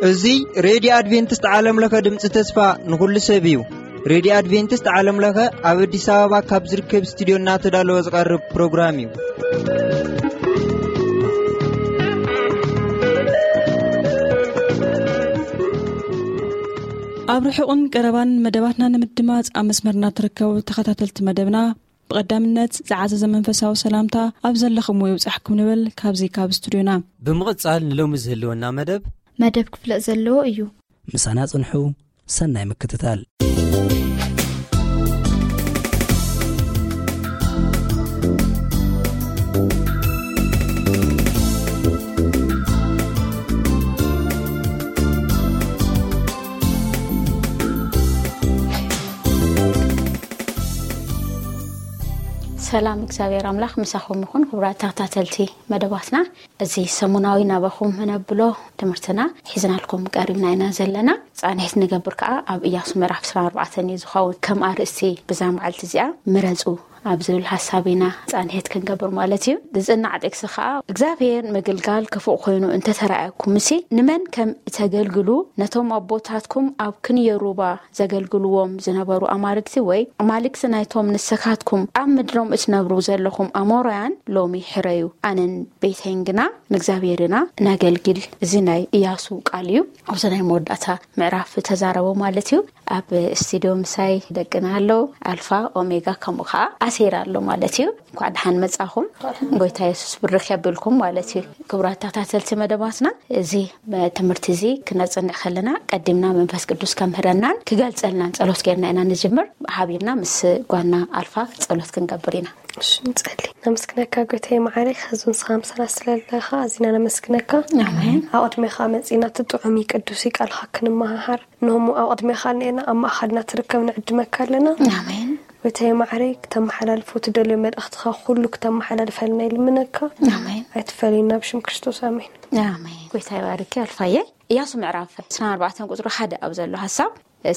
እዚ ሬድዮ ኣድቬንቲስት ዓለም ለኸ ድምፂ ተስፋ ንኹሉ ሰብ እዩ። ሬድዮ ኣድቬንቲስት ዓለም ለኸ ኣብ ኣዲስ ኣበባ ካብ ዝርከብ ስቱዲዮ እናተዳለወ ዝቐርብ ፕሮግራም እዩ። ኣብ ርሑቕን ቀረባን መደባትና ንምድማፅ ኣብ መስመርና ትርከቡ ተኸታተልቲ መደብና፣ ብቐዳምነት ዝዓዘዘ መንፈሳዊ ሰላምታ ኣብ ዘለኹምዎ ይብጻሕኩም ንብል ካብዚ ካብ ስቱዲዮና። ብምቕጻል ንሎሚ ዝህልወና መደብ መደብ ክፍለጥ ዘለዎ እዩ። ምሳና ጽንሑ፣ ሰናይ ምክትታል። ሰላም እግዚኣብሔር ኣምላኽ ምሳኹም ይኹን። ክቡራት ተኸታተልቲ መደባትና፣ እዚ ሰሙናዊ ናባኹም ነብሎ ትምህርትና ሒዝናልኩም ቀሪብና ኢና ዘለና። ጻንሒት ንገብር ከኣ ኣብ ኢያሱ ምዕራፍ ዕስራን ኣርባዕተን እዩ ዝኸውን። ከም ኣርእስቲ ብዛ መዓልቲ እዚኣ ምረጹ ኣብ ዝብል ሓሳብ ኢና ጻንሒት ክንገብር ማለት እዩ። ዝጽናዕ ጥቅሲ ከኣ እግዚኣብሔር ምግልጋል ክፉእ ኮይኑ እንተተራእየኩምሲ ንመን ከም እተገልግሉ ነቶም ኣቦታትኩም ኣብ ክንዮ ሩባ ዘገልግልዎም ዝነበሩ ኣማልክቲ ወይ ኣማልክቲ ናይቶም ንስኻትኩም ኣብ ምድሮም እትነብሩ ዘለኹም ኣሞራውያን ሎሚ ሕረዩ። ኣነን ቤተይን ግና ንእግዚኣብሔር ኢና ነገልግል። እዚ ናይ ኢያሱ ቃል እዩ። ኣብዚ ናይ መወዳእታ ምዕራፍ ተዛረቦ ማለት እዩ። ኣብ ስቱዲዮ ምሳይ ደቅና ኣለዉ። ኣልፋ ኦሜጋ ከምኡ ከዓ ኣሴር ኣሎ ማለት እዩ። እንኳዕ ደሓን መጻኹም። ጎይታ የሱስ ብርኽ የብልኩም ማለት እዩ። ክቡራት ተኸታተልቲ መደባትና፣ እዚ ትምህርቲ እዚ ክነጽንዕ ከለና ቀዲምና መንፈስ ቅዱስ ከምህረናን ክገልጸልናን ጸሎት ጌርና ኢና ንጅምር። ሓቢርና ምስ ጓና ኣልፋ ጸሎት ክንገብር ኢና። እሺ፣ ንጸሊ። ነመስግነካ ጎይታዬ መዓረይ፣ ኸዚ ንስኻ ምሳና ስለ ዘለኻ ኣዚና ነመስግነካ። ኣሜን። ኣብ ቅድሜኻ መጺና እቲ ጥዑም እዩ ቅዱስ እዩ ቃልኻ ክንመሃሃር። ንሆሞ ኣብ ቅድሜኻ እኒኤና፣ ኣብ ማእኸልና ትርከብ ንዕድመካ ኣለና። ኣሜን። ጎይታዬ መዓረይ፣ ክተመሓላልፎ ትደልዮ መልእኽትኻ ኩሉ ክተመሓላልፈልና ይልምነካ። ኣሜን። ኣይትፈለዩና ብሽም ክርስቶስ ኣሜን። ኣሜን። ጎይታ ይባርኪ ኣልፋዬ። ኢያሱ ምዕራፍ ዕስራን ኣርባዕተን ቁጽሪ ሓደ ኣብ ዘሎ ሓሳብ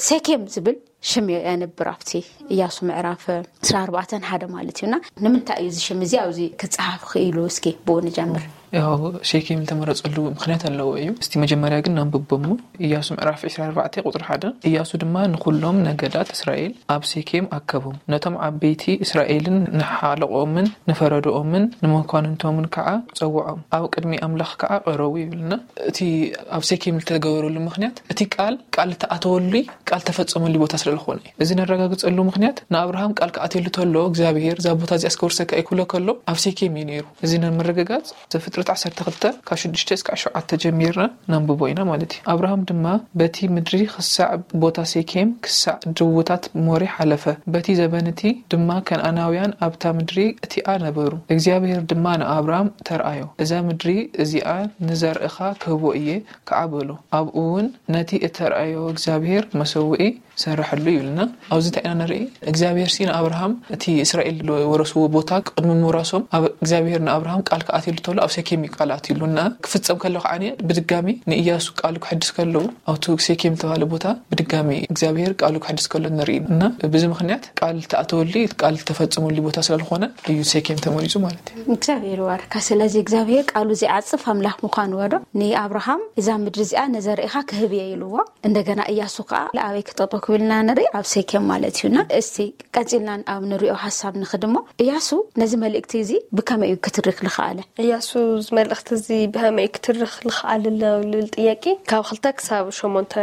ሴኬም ዝብል ሽም የንብር ኣብቲ ኢያሱ ምዕራፍ ዕስራን ኣርባዕተን ሓደ ማለት እዩና። ንምንታይ እዩ እዚ ሽም እዚ ኣብዚ ክጸሓፍ ክኢሉ? እስኪ ብኡ ንጀምር። ያው ሴኬም ዝተመረጸሉ ምኽንያት ኣለዎ እዩ። እስቲ መጀመርያ ግን ነንብቦ እሞ፣ ኢያሱ ምዕራፍ ዕስራን ኣርባዕተን ቁጽሪ ሓደ፣ ኢያሱ ድማ ንኹሎም ነገዳት እስራኤል ኣብ ሴኬም ኣከቦም፣ ነቶም ዓበይቲ እስራኤልን ንሓለቆምን ንፈረድኦምን ንመኳንንቶምን ከዓ ጸውዖም፣ ኣብ ቅድሚ ኣምላኽ ከዓ ቀረቡ ይብልና። እቲ ኣብ ሴኬም ዝተገበረሉ ምኽንያት እቲ ቃል ቃል እተኣተወሉ ቃል ተፈጸመሉ ቦታ ስለ ዝኾነ እዩ። እዚ ነረጋግጸሉ ምኽንያት ንኣብርሃም ቃል ክኣትየሉ ተሎ እግዚኣብሔር እዛ ቦታ እዚኣ እስከ ውርሰካ እዩ ክብሎ ከሎ ኣብ ሴኬም እዩ ነይሩ። እዚ ንምርግጋጽ ዘፍጥረት ዓሰርተ ክልተ ካብ ሽዱሽተ እስካብ ሸውዓተ ጀሚርና ነንብቦ ኢና ማለት እዩ። ኣብርሃም ድማ በቲ ምድሪ ክሳዕ ቦታ ሴኬም ክሳዕ ድውታት ሞሬ ሓለፈ። በቲ ዘበን እቲ ድማ ከነኣናውያን ኣብታ ምድሪ እቲኣ ነበሩ። እግዚኣብሔር ድማ ንኣብርሃም ተርኣዮ፣ እዛ ምድሪ እዚኣ ንዘርእኻ ክህቦ እየ ከዓ በሎ። ኣብኡ እውን ነቲ እተርኣዮ እግዚኣብሔር መሰውኢ ሰረሐሉ ይብልና። ኣብዚ እንታይ ኢና ንርኢ? እግዚኣብሔር ሲ ንኣብርሃም እቲ እስራኤል ዝወረስዎ ቦታ ቅድሚ ምውራሶም ኣብ እግዚኣብሔር ንኣብርሃም ቃል ክኣትየሉ ተሎ ኣብ ሴኬም እዩ ቃል ኣትዩሉ እና ክፍጸም ከሎ ከዓ ብድጋሚ ንኢያሱ ቃሉ ክሕድስ ከለዉ ኣብቲ ሴኬም ዝተባሃለ ቦታ ብድጋሚ እግዚኣብሔር ቃሉ ክሕድስ ከሎ ንርኢ እና ብዚ ምኽንያት ቃል ተኣተወሉ ቃል ተፈጸመሉ ቦታ ስለዝኾነ እዩ ሴኬም ተመሪጹ ማለት እዩ። እግዚኣብሔር ይባርካ። ስለዚ እግዚኣብሔር ቃሉ ዘይዓጽፍ ኣምላኽ ምዃኑ ወዶ ንኣብርሃም እዛ ምድሪ እዚኣ ነዘርእኻ ክህብ እየ ኢልዎ። እንደገና እያሱ ከዓ ለኣበይ ክጠጦ ክብልና ንርኢ ኣብ ሴኬም ማለት እዩና። እስቲ ቀጺልና ኣብ ንሪኦ ሓሳብ ንኽድሞ፣ እያሱ ነዚ መልእክቲ እዚ ብከመይ እዩ ክትርክ ልኽኣለ? እያሱ እዚ መልእክቲ እዚ ብኸመይ እዩ ክትርክ ልኽኣል ለብል ጥያቄ ካብ ክልተ ክሳብ ሸሞንተ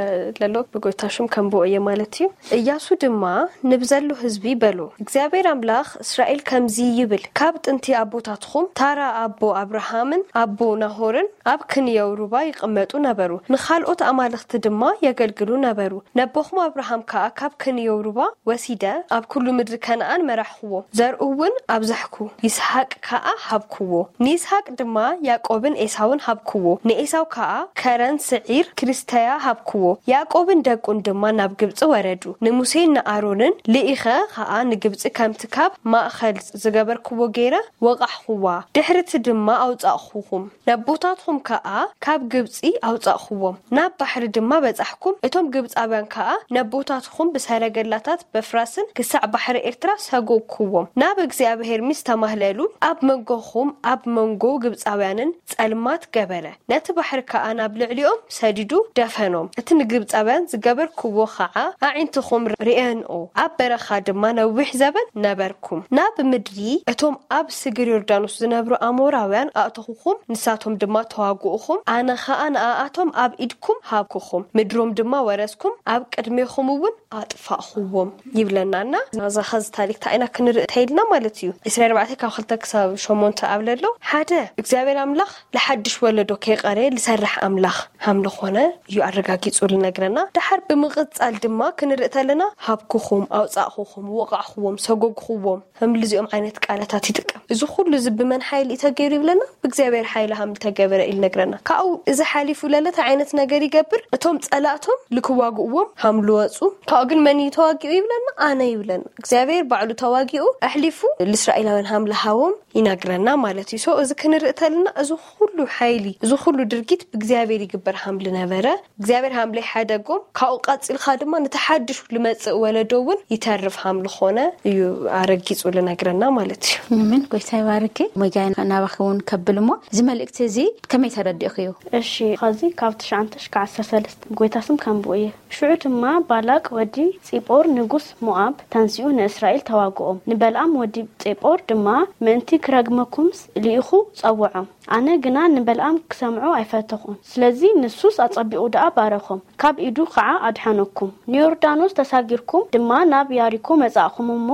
ለሎ ብጎይታ ሽም ከንብቦ እየ ማለት እዩ። እያሱ ድማ ንብዘሎ ህዝቢ በሎ፣ እግዚኣብሔር ኣምላኽ እስራኤል ከምዚ ይብል፣ ካብ ጥንቲ ኣቦታትኹም ታራ ኣቦ ኣብርሃምን ኣቦ ናሆርን ኣብ ክንየው ሩባ ይቕመጡ ነበሩ፣ ንኻልኦት ኣማልኽቲ ድማ የገልግሉ ነበሩ። ነቦኹም ኣብርሃም ከኣ ካብ ክንየው ሩባ ወሲደ ኣብ ኩሉ ምድሪ ከነኣን መራሕኽዎ፣ ዘርኡ እውን ኣብዛሕኩ፣ ይስሓቅ ከኣ ሃብክዎ። ንይስሓቅ ድማ ያዕቆብን ኤሳውን ሃብክዎ። ንኤሳው ከኣ ከረን ስዒር ክልስተያ ሃብክዎ። ያዕቆብን ደቁን ድማ ናብ ግብጺ ወረዱ። ንሙሴን ንኣሮንን ልኢኸ ከኣ ንግብጺ ከምቲ ካብ ማእከል ዝገበርክዎ ገይረ ወቓሕኽዋ። ድሕርቲ ድማ ኣውጻእኹኹም። ነቦታትኹም ከኣ ካብ ግብጺ ኣውጻእኽዎም። ናብ ባሕሪ ድማ በጻሕኩም። እቶም ግብጻውያን ከኣ ነቦታትኹም ብሰረገላታት በፍራስን ክሳዕ ባሕሪ ኤርትራ ሰጎግኩዎም። ናብ እግዚኣብሔር ምስ ተማህለሉ፣ ኣብ መንጎኹም ኣብ መንጎ ግብጻውያንን ጸልማት ገበረ። ነቲ ባሕሪ ከኣ ናብ ልዕሊኦም ሰዲዱ ደፈኖም። እቲ ንግብጻውያን ዝገበርኩዎ ኸዓ ኣዒንትኹም ርእየንኦ። ኣብ በረኻ ድማ ነዊሕ ዘበን ነበርኩም። ናብ ምድሪ እቶም ኣብ ስግር ዮርዳኖስ ዝነብሩ ኣሞራውያን ኣእተኹኹም፣ ንሳቶም ድማ ተዋግኡኹም። ኣነ ኸኣ ንኣኣቶም ኣብ ኢድኩም ሃብኩኹም። ምድሮም ድማ ወረስኩም፣ ኣብ ቅድሜኹም እውን ኣጥፋእኹዎም ይብለና። እና እዛ ኸዚ ታሪክ እንታይ ኢና ክንርኢ ተይልና ማለት እዩ። ዕስራ ኣርባዕተ ካብ ክልተ ክሳብ ሸሞንተ ኣብ ለሎ ሓደ እግዚኣብሔር ኣምላኽ ለሓድሽ ወለዶ ከይቐረየ ልሰርሕ ኣምላኽ ሃም ልኾነ እዩ ኣረጋጊጹ ልነግረና። ደሓር ብምቕጻል ድማ ክንርኢ ተለና ሃብኩኹም፣ ኣውጻእኹኹም፣ ወቓዕኹዎም፣ ሰጎግኹዎም፣ ከም ልዚኦም ዓይነት ቃላታት ይጥቀም። እዚ ኩሉ እዚ ብመን ሓይሊ እዩ ተገይሩ ይብለና? ብእግዚኣብሔር ሓይሊ ሃም ልተገበረ እዩ ልነግረና። ካብኡ እዚ ሓሊፉ ለለ እንታይ ዓይነት ነገር ይገብር? እቶም ጸላእቶም ልክዋግእዎም ሃም ልወጹ፣ ካብኡ ግን መን እዩ ተዋጊኡ ይብለና? ኣነ ይብለና። እግዚኣብሔር ባዕሉ ተዋጊኡ ኣሕሊፉ ልእስራኤላውያን ሃም ልሃቦም ይነግረና ማለት እዩ። So እዚ ክንርኢ ተለና እዚ ኩሉ ሓይሊ፣ እዚ ኩሉ ድርጊት ብእግዚኣብሔር ይግበር ሃም ልነበረ፣ እግዚኣብሔር ሃም ለይሓደጎም፣ ካብኡ ቀጺልካ ድማ ነቲ ሓድሽ ልመጽእ ወለዶ እውን ይተርፍ ሃም ልኾነ እዩ ኣረጊጹ ልነግረና ማለት እዩ። ኣሜን። ጎይታ ይባርኪ። ሞይጋይ ናባኺ እውን ከብል እሞ፣ እዚ መልእክቲ እዚ ከመይ ተረዲእኽዮ? እሺ፣ ኸዚ ካብ ትሽዓተ ሽካዕ ዓሰርተ ሰለስተ ጎይታ ስም ከንብኡ እየ። ሽዑ ድማ ባላቅ ወዲ ጺጶር ንጉስ ሞኣብ ተንሲኡ ንእስራኤል ተዋግኦም። ንበልኣም ወዲ ጼጶር ድማ ምእንቲ ክረግመኩምስ ልኢኹ ጸውዖም። ኣነ ግና ንበልኣም ክሰምዖ ኣይፈተኹን። ስለዚ ንሱስ ኣጸቢቑ ደኣ ባረኾም፣ ካብ ኢዱ ኸዓ ኣድሓነኩም። ንዮርዳኖስ ተሳጊርኩም ድማ ናብ ያሪኮ መጻእኹም እሞ፣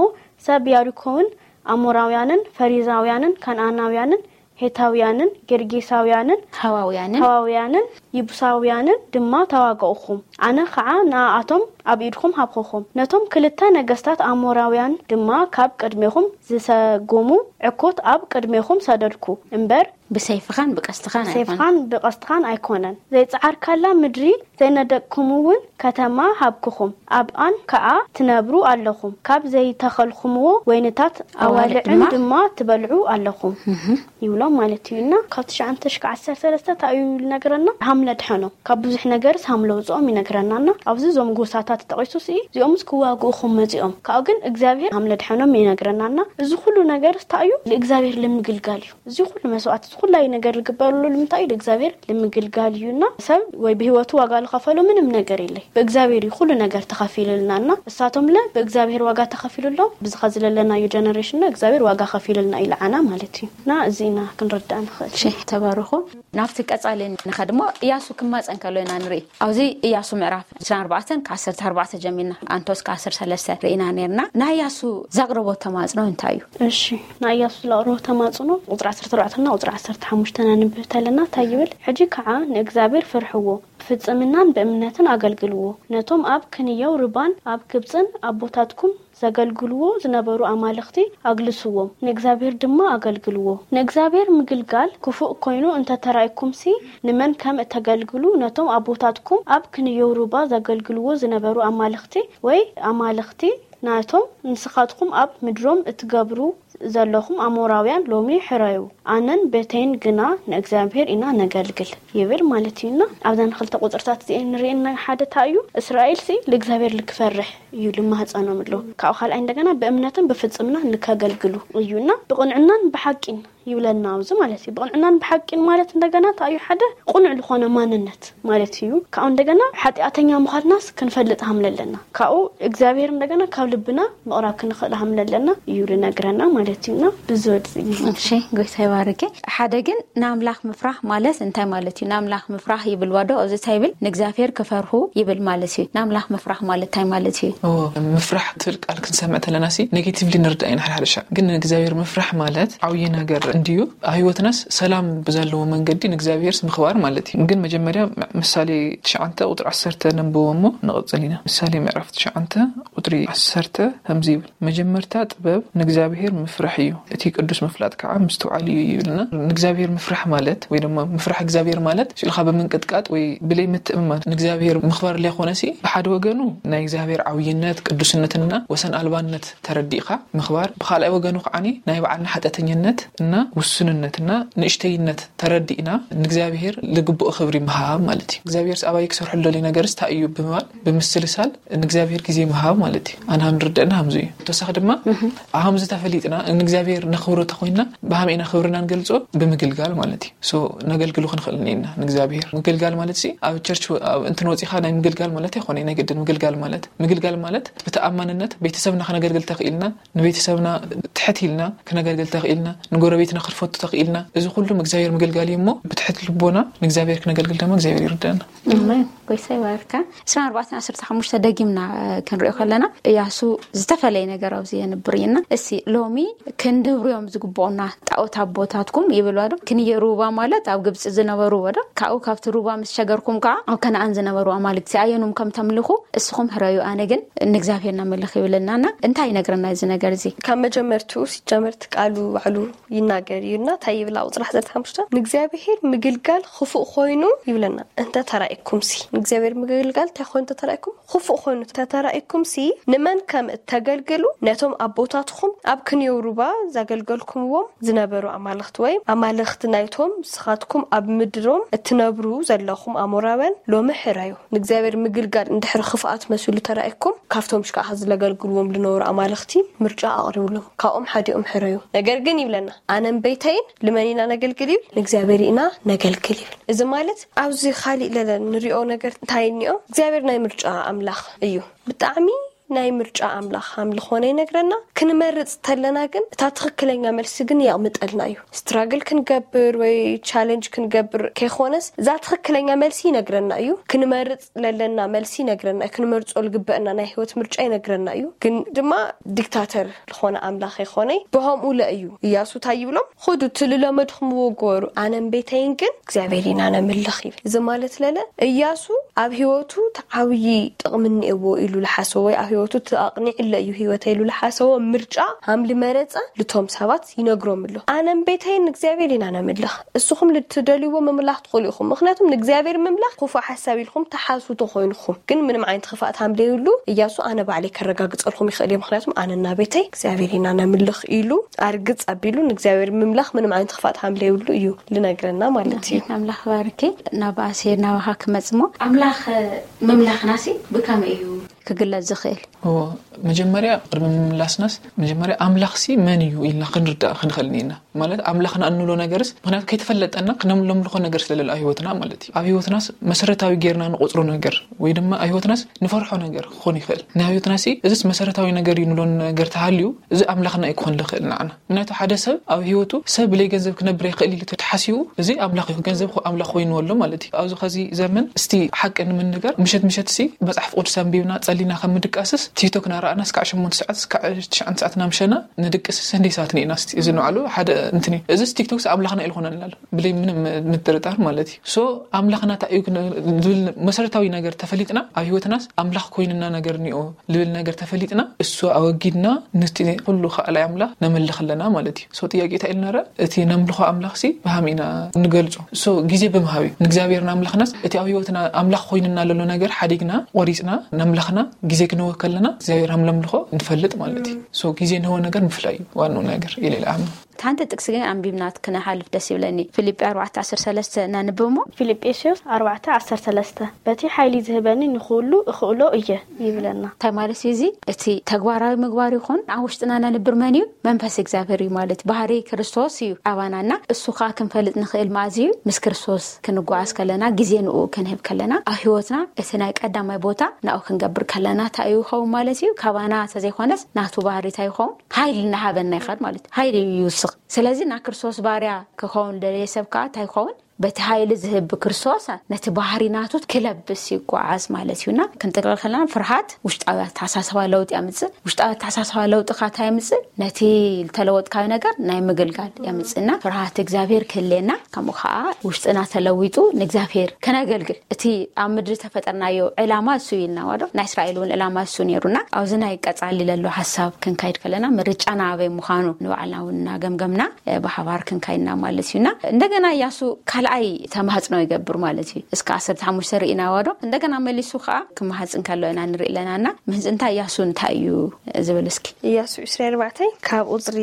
ሰብ ያሪኮውን ኣሞራውያንን ፈሪዛውያንን ከነኣናውያንን ሄታውያንን ጌርጌሳውያንን ሃዋውያንን ሃዋውያንን ይቡሳውያንን ድማ ተዋጋኡኹም። ኣነ ኸዓ ንኣኣቶም ኣብ ኢድኹም ሃብኹኹም። ነቶም ክልተ ነገስታት ኣሞራውያን ድማ ካብ ቅድሜኹም ዝሰጎሙ ዕኮት ኣብ ቅድሜኹም ሰደድኩ እምበር፣ ብሰይፍኻን ብቀስትኻን ኣይኮነን። ብሰይፍኻን ብቀስትኻን ኣይኮነን። ዘይጸዓርካላ ምድሪ ዘይነደቅኩምውን ከተማ ሃብኩኹም። ኣብኣን ከኣ ትነብሩ ኣለኹም። ካብ ዘይተኸልኩምዎ ወይንታት ኣዋልዕ ኣዋልዕን ድማ ድማ ትበልዑ ኣለኹም። እህ። ይብሎም ማለት እዩ። እና ካብ ትሽዓተ ሽካዕ ዓሰርተ ሰለስተ እንታይ እዩ ዝነግረና? ሃም ለድሐኖም፣ ካብ ብዙሕ ነገርስ ሃም ለውፅኦም ይነግረና። እና ኣብዚ እዞም ጎሳታት ተጠቒሱ ሲ እዚኦምስ ክዋግኡኹም መፂኦም፣ ካብኡ ግን እግዚኣብሔር ሃም ለድሐኖም ይነግረና። እና እዚ ኩሉ ነገርስ እንታይ እዩ? ንእግዚኣብሔር ልምግልጋል እዩ። እዚ ኩሉ መስዋዕት፣ እዚ ኩላይ ነገር ዝግበረሉ ንምንታይ እዩ? ንእግዚኣብሔር ልምግልጋል እዩ። እና ሰብ ወይ ብህይወቱ ዋጋ ዝኸፈሎ ምንም ነገር የለይ፣ ብእግዚኣብሔር እዩ ኩሉ ነገር ተኸፊልልና። እና እሳቶም ለ ብእግዚኣብሔር ዋጋ ተኸፊሉሎም፣ ብዝኻ ዝለለናዮ ጀነሬሽን ለ እግዚኣብሔር ዋጋ ከፊሉልና እዩ ልዓና ማለት እዩ። እና እዚ ኢና ክንርዳእ ንኽእል። እሺ፣ ተባረኹ። ናብቲ ቀጻሊ ንኸድ እሞ፣ እያሱ ክማጸን ከሎ ኢና ንርኢ። ኣብዚ እያሱ ምዕራፍ ዕስራን ኣርባዕተን ካብ ዓሰርተ ኣርባዕተ ጀሚርና ኣንቶስ ካብ ዓሰርተ ሰለስተ ርኢና ነርና። ናይ እያሱ ዘቕረቦ ተማጽኖ እንታይ እዩ? እሺ፣ ናይ እያሱ ዘቕረቦ ተማጽኖ ቁጽሪ ዓሰርተ ኣርባዕተ እና ቁጽሪ ዓሰርተ ሓሙሽተ ነንብብ ተለና እንታይ ይብል? ሕጂ ከዓ ንእግዚኣብሔር ፍርሕዎ፣ ብፍጽምናን ብእምነትን ኣገልግልዎ። ነቶም ኣብ ክንየው ርባን ኣብ ግብጽን ኣቦታትኩም ዘገልግልዎ ዝነበሩ ኣማልኽቲ ኣግልስዎም፣ ንእግዚኣብሔር ድማ ኣገልግልዎ። ንእግዚኣብሔር ምግልጋል ክፉእ ኮይኑ እንተ ተራእይኩምሲ፣ ንመን ከም እተገልግሉ ነቶም ኣቦታትኩም ኣብ ክንየው ሩባ ዘገልግልዎ ዝነበሩ ኣማልኽቲ ወይ ኣማልኽቲ ናቶም ንስኻትኩም ኣብ ምድሮም እትገብሩ ዘለኹም ኣሞራውያን ሎሚ ሕረዩ። ኣነን ቤተይን ግና ንእግዚኣብሔር ኢና ነገልግል ይብል ማለት እዩና። ኣብዘን ክልተ ቁጽርታት እዚኤን ንርእየን ናይ ሓደ እንታይ እዩ? እስራኤል ሲ ልእግዚኣብሔር ልክፈርሕ እዩ ልማህጸኖም ኣሎ። ካብኡ ካልኣይ እንደገና ብእምነትን ብፍጽምና ልከገልግሉ እዩና። ብቕንዕናን ብሓቂን ይብለና ኣብዚ ማለት እዩ። ብቕንዕናን ብሓቂን ማለት እንደገና እንታይ እዩ? ሓደ ቁኑዕ ልኾነ ማንነት ማለት እዩ። ካብኡ እንደገና ሓጢኣተኛ ምዃንናስ ክንፈልጥ ሃምለለና። ካብኡ እግዚኣብሔር እንደገና ካብ ልብና ምቕራብ ክንኽእል ሃምለለና እዩ ልነግረና ማለት እዩና። ብዝወድዚ እሺ፣ ጎይታ ይባርኪ። ሓደ ግን ንኣምላኽ ምፍራሕ ማለት እንታይ ማለት እዩ? ንኣምላኽ ምፍራሕ ይብል ዋዶ? ኣብዚ እንታይ ይብል? ንእግዚኣብሔር ክፈርሁ ይብል ማለት እዩ። ንኣምላኽ ምፍራሕ ማለት እንታይ ማለት እዩ? ኦ፣ ምፍራሕ ትብል ቃል ክንሰምዕ ተለና ሲ ኔጌቲቭሊ ንርዳእ ኢና ሓደ ሓደ ሻዕ። ግን ንእግዚኣብሔር ምፍራሕ ማለት ዓብዪ ነገር እንድዩ። ኣብ ህይወትናስ ሰላም ብዘለዎ መንገዲ ንእግዚኣብሔርስ ምኽባር ማለት እዩ። ግን መጀመርያ ም-፣ ምሳሌ ትሽዓተ ቁጽሪ ዓሰርተ ነንብቦ እሞ ንቕጽል ኢና። ምሳሌ ምዕራፍ ትሽዓተ ቁጽሪ ዓሰርተ ከምዚ ይብል፣ መጀመርታ ጥበብ ንእግዚኣብሔር ምፍራሕ እዩ፣ እቲ ቅዱስ ምፍላጥ ከዓ ምስትውዓል እዩ ይብልና። ንእግዚኣብሔር ምፍራሕ ማለት ወይ ድማ ምፍራሕ እግዚኣብሔር ማለት ሽልኻ ብምንቅጥቃጥ ወይ ብለይ ምትእምማን ንእግዚኣብሔር ምኽባር ለይኮነሲ፣ ብሓደ ወገኑ ናይ እግዚኣብሔር ዓብይነት፣ ቅዱስነትና ወሰን ኣልባነት ተረዲእካ ምኽባር፣ ብኻልኣይ ወገኑ ከዓኒ ናይ ባዕልና ሓጢኣተኛነት እና ውሱንነትና ንእሽተይነት ተረዲእና ንእግዚኣብሔር ዝግብኦ ክብሪ ምሃብ ማለት እዩ። እግዚኣብሔር ኣባይ ክሰርሐሉ ደልዩ ነገርስ እንታይ እዩ ብምባል ብምስልሳል ንእግዚኣብሔር ግዜ ምሃብ ማለት እዩ። ኣንሃ ንርደእና ሃምዙ እዩ። ተወሳኺ ድማ ኣሃምዚ ተፈሊጥና ንእግዚኣብሔር ነኽብሮ ተኮይንና ብሃመ ኢና ክብርና ንገልጾ ብምግልጋል ማለት እዩ። ሶ ነገልግሉ ክንኽእል እኒና ንእግዚኣብሔር ምግልጋል ማለት ሲ ኣብ ቸርች እንትን ወፂኻ ናይ ምግልጋል ማለት ኣይኮነ። ናይ ግድን ምግልጋል ማለት ምግልጋል ማለት ብተኣማንነት ቤተሰብና ክነገልግል ተኽኢልና ንቤተሰብና ትሕት ኢልና ክነገልግል ተኽኢልና ንጎረቤትና ክንፈቱ ተኽኢልና። እዚ ኩሉ እግዚኣብሔር ምግልጋል እዩ እሞ ብትሕት ልቦና ንእግዚኣብሔር ክነገልግል ድማ እግዚኣብሔር ይርዳና። ጎይታ ይባርካ። ስራ ኣርባዕተን ዓሰርተ ሓሙሽተ ደጊምና ክንሪኦ ከለና እያሱ ዝተፈለየ ነገር ኣብዚ የንብር እዩና። እሲ ሎሚ ክንድብርዮም ዝግብኡና ጣዖት ኣቦታትኩም ይብል ዶ? ክንየ ሩባ ማለት ኣብ ግብፂ ዝነበሩ ወዶ ካብኡ ካብቲ ሩባ ምስ ሸገርኩም ከዓ ኣብ ከነኣን ዝነበሩ ኣማልክቲ ኣየኑም ከም ተምልኹ እስኹም ሕረዩ፣ ኣነ ግን ንእግዚኣብሔር ናመልኽ ይብለናና። እንታይ ይነግረና እዚ ነገር እዚ? ካብ መጀመርቱ ሲጀመርት ቃሉ ባዕሉ ይናገር እዩና እንታይ ይብላ ቁፅሪ ሓሰርተ ሓሙሽተ ንእግዚኣብሔር ምግልጋል ክፉእ ኮይኑ ይብለና። እንተ ተራእኩም ሲ ንእግዚኣብሔር ምግልጋል እንታይ ኮይኑ ተተራእኩም ክፉእ ኮይኑ ተተራእኩም ሲ ንመን ከም እተገልግሉ ነቶም ኣቦታትኩም ኣብ ክንየው ሩባ ዘገልገልኩምዎም ዝነበሩ ኣማልኽቲ ወይም ኣማልኽቲ ናይቶም ንስኻትኩም ኣብ ምድሮም እትነብሩ ዘለኹም ኣሞራውያን ሎሚ ሕረዩ። ንእግዚኣብሔር ምግልጋል እንድሕር ክፍኣት መሲሉ ተራእኩም ካብቶም ሽካዓ ዝለገልግልዎም ዝነበሩ ኣማልኽቲ ምርጫ ኣቕሪብሎም ካብኦም ሓዲኦም ሕረዩ። ነገር ግን ይብለና ኣነን ቤተይን ልመን ኢና ነገልግል ይብል ንእግዚኣብሔር ኢና ነገልግል ይብል። እዚ ማለት ኣብዚ ካሊእ ለለ ንሪኦ ነገር እንታይ እኒኦ እግዚኣብሔር ናይ ምርጫ ኣምላኽ እዩ። ብጣዕሚ ናይ ምርጫ ኣምላኽ ከም ዝኾነ ይነግረና። ክንመርጽ ተለና ግን እታ ትኽክለኛ መልሲ ግን የቕምጠልና እዩ። ስትራግል ክንገብር ወይ ቻለንጅ ክንገብር ከይኾነስ እዛ ትኽክለኛ መልሲ ይነግረና እዩ። ክንመርጽ ለለና መልሲ ይነግረና እዩ። ክንመርጾ ልግበአና ናይ ህይወት ምርጫ ይነግረና እዩ። ግን ድማ ዲክታተር ዝኾነ ኣምላኽ ይኾነ ብኸምኡ ለ እዩ። እያሱ እንታይ ይብሎም? ኹዱ ትልለመድኹምዎ ግበሩ ኣነን ቤተይን ግን እግዚኣብሔር ኢና ነምልኽ ይብል። እዚ ማለት ለለ እያሱ ኣብ ህይወቱ ተዓብዪ ጥቕሚ እኒኤዎ ኢሉ ልሓሰቦ ወይ ኣብ ህይወቱ ኣቕኒዕለ እዩ ህይወተ ኢሉ ልሓሰቦ ምርጫ ሃም ልመረፀ ልቶም ሰባት ይነግሮም ኣሎ። ኣነን ቤተይን እግዚኣብሔር ኢና ነምልኽ። እስኹም ልትደልይዎ ምምላኽ ትኽእሉ ኢኹም። ምክንያቱም ንእግዚኣብሔር ምምላኽ ክፉእ ሓሳብ ኢልኩም ተሓሱ ተኮይንኩም ግን ምንም ዓይነት ክፋእት ሃም ለይብሉ እያሱ ኣነ ባዕለይ ከረጋግፀልኩም ይኽእል እየ። ምክንያቱም ኣነና ቤተይ እግዚኣብሔር ኢና ነምልኽ ኢሉ ኣርግፅ ኣቢሉ ንእግዚኣብሔር ምምላኽ ምንም ዓይነት ክፋእት ሃም ለይብሉ እዩ ልነግረና ማለት እዩ። ኣምላኽ ባርኪ። ናብ ኣሴር ናባኻ ክመጽሞ ኣምላኽ ምምላኽና ሲ ብከመይ እዩ ክግለጽ ዝኽእል? መጀመርያ ቅድሚ ምምላስናስ መጀመርያ ኣምላኽሲ መን እዩ ኢልና ክንርዳእ ክንኽእል ኢና። ማለት ኣምላኽና እንብሎ ነገርስ ምክንያቱ ከይተፈለጠና ክነምለምልኾ ነገር ስለለለ ኣብ ህይወትና ማለት እዩ። ኣብ ህይወትናስ መሰረታዊ ጌርና ንቆፅሮ ነገር ወይ ድማ ኣብ ህይወትናስ ንፈርሖ ነገር ክኾን ይኽእል። ናይ ህይወትናሲ እዚስ መሰረታዊ ነገር እዩ ንብሎ ነገር ተሃልዩ እዚ ኣምላኽና እዩ ክኾን ልኽእል ንዓና። ምክንያቱ ሓደ ሰብ ኣብ ህይወቱ ሰብ ብለይ ገንዘብ ክነብር ይኽእል ኢሉ ተሓሲቡ እዚ ኣምላኽ እዩ ገንዘብ ኣምላኽ ኮይኑ ኣሎ ማለት እዩ። ኣብዚ ኸዚ ዘመን እስቲ ሓቂ ንምንጋር ምሸት ምሸት ሲ መፅሓፍ ቅዱስ ኣንቢብና ጸሊና ከም ምድቃስስ ቲክቶክ ናረኣና እስካዕ ሸሞንተ ሰዓት እስካዕ ትሽዓን ሰዓት ናምሸና ንድቅስስ ህንደይ ሰዓት ንኢና እስቲ እዚ ንባዕሉ ሓደ እንትን እዩ። እዚ ቲክቶክ ኣምላኽና ኢልኮነልና ኣሎ ብለይ ምንም ምጥርጣር ማለት እዩ። ሶ ኣምላኽና እንታይ እዩ ዝብል መሰረታዊ ነገር ተፈሊጥና ኣብ ህይወትናስ ኣምላኽ ኮይንና ነገር እኒኦ ልብል ነገር ተፈሊጥና እሱ ኣወጊድና ንቲ ኩሉ ከኣላይ ኣምላኽ ነምልኽ ኣለና ማለት እዩ። ሶ ጥያቄ እንታይ ኢሉ ነረ እቲ ነምልኾ ኣምላኽ ሲ ብሃም ኢና ንገልጾ። ሶ ግዜ ብምሃብ እዩ ንእግዚኣብሔር ንኣምላኽናስ እቲ ኣብ ህይወትና ኣምላኽ ኮይንና ለሎ ነገር ሓዲግና ቆሪጽና ነምላኽና ግዜ ክንወ ከለና እግዚኣብሔር ሃም ነምልኾ ንፈልጥ ማለት እዩ። ሶ ግዜ ንህወ ነገር ምፍላይ እዩ ዋንኡ ነገር ኢለ ኢለ ኣምን። ሓንቲ ጥቅሲ ግን ኣንቢብና ክንሓልፍ ደስ ይብለኒ። ፊልጲ ኣርባዕተ ዓሰርተ ሰለስተ ነንብብ እሞ። ፊልጵስዩስ ኣርባዕተ ዓሰርተ ሰለስተ በቲ ሓይሊ ዝህበኒ ንኹሉ እኽእሎ እየ ይብለና። እንታይ ማለት እዩ እዚ? እቲ ተግባራዊ ምግባር ይኹን ኣብ ውሽጥና ነንብር መን እዩ? መንፈስ እግዚኣብሔር እዩ ማለት ባህሪ ክርስቶስ እዩ ኣባናና እሱ ከዓ ክንፈልጥ ንኽእል ማእዚ እዩ ምስ ክርስቶስ ክንጓዓዝ ከለና ግዜ ንኡ ክንህብ ከለና ኣብ ህይወትና እቲ ናይ ቀዳማይ ቦታ ናኡ ክንገብር ከለና እንታይ እዩ ይኸውን ማለት እዩ? ካባና ተዘይኮነስ ናቱ ባህሪ እንታይ ይኸውን? ሓይሊ እናሃበና ይኸድ ማለት እዩ። ሓይሊ ይውስኽ። ስለዚ ናይ ክርስቶስ ባርያ ክኸውን ደለየ ሰብ ከዓ እንታይ ይኸውን? በቲ ሓይሊ ዝህብ ክርስቶስ ነቲ ባህሪ ናቱ ክለብስ ይጓዓዝ ማለት እዩና። ክንጥቅልል ከለና ፍርሃት ውሽጣዊ ኣተሓሳስባ ለውጢ ያምፅእ። ውሽጣዊ ኣተሓሳስባ ለውጢ ካታ ያምፅእ ነቲ ዝተለወጥካዮ ነገር ናይ ምግልጋል ያምፅእና። ፍርሃት እግዚኣብሔር ክህልየና ከምኡ ከዓ ውሽጥና ተለዊጡ ንእግዚኣብሔር ከነገልግል እቲ ኣብ ምድሪ ተፈጠርናዮ ዕላማ እሱ ኢልና ዋዶ ናይ እስራኤል እውን ዕላማ እሱ ነይሩና። ኣብዚ ናይ ቀጻሊ ለሎ ሓሳብ ክንካይድ ከለና ምርጫና ኣበይ ምዃኑ ንባዕልና እውን እናገምገምና ብሓባር ክንካይድና ማለት እዩና። እንደገና እያሱ ካልኣይ ተማህፅኖ ይገብር ማለት እዩ። እስከ ዓሰርተ ሓሙሽተ ርኢና ዋዶ እንደገና መሊሱ ከዓ ክመሃፅን ከሎ ኢና ንርኢ ኣለናና። ምህንፅንታ እያሱ እንታይ እዩ ዝብል እስኪ? እያሱ ዕስራ ኣርባዕተ ካብ ቁፅሪ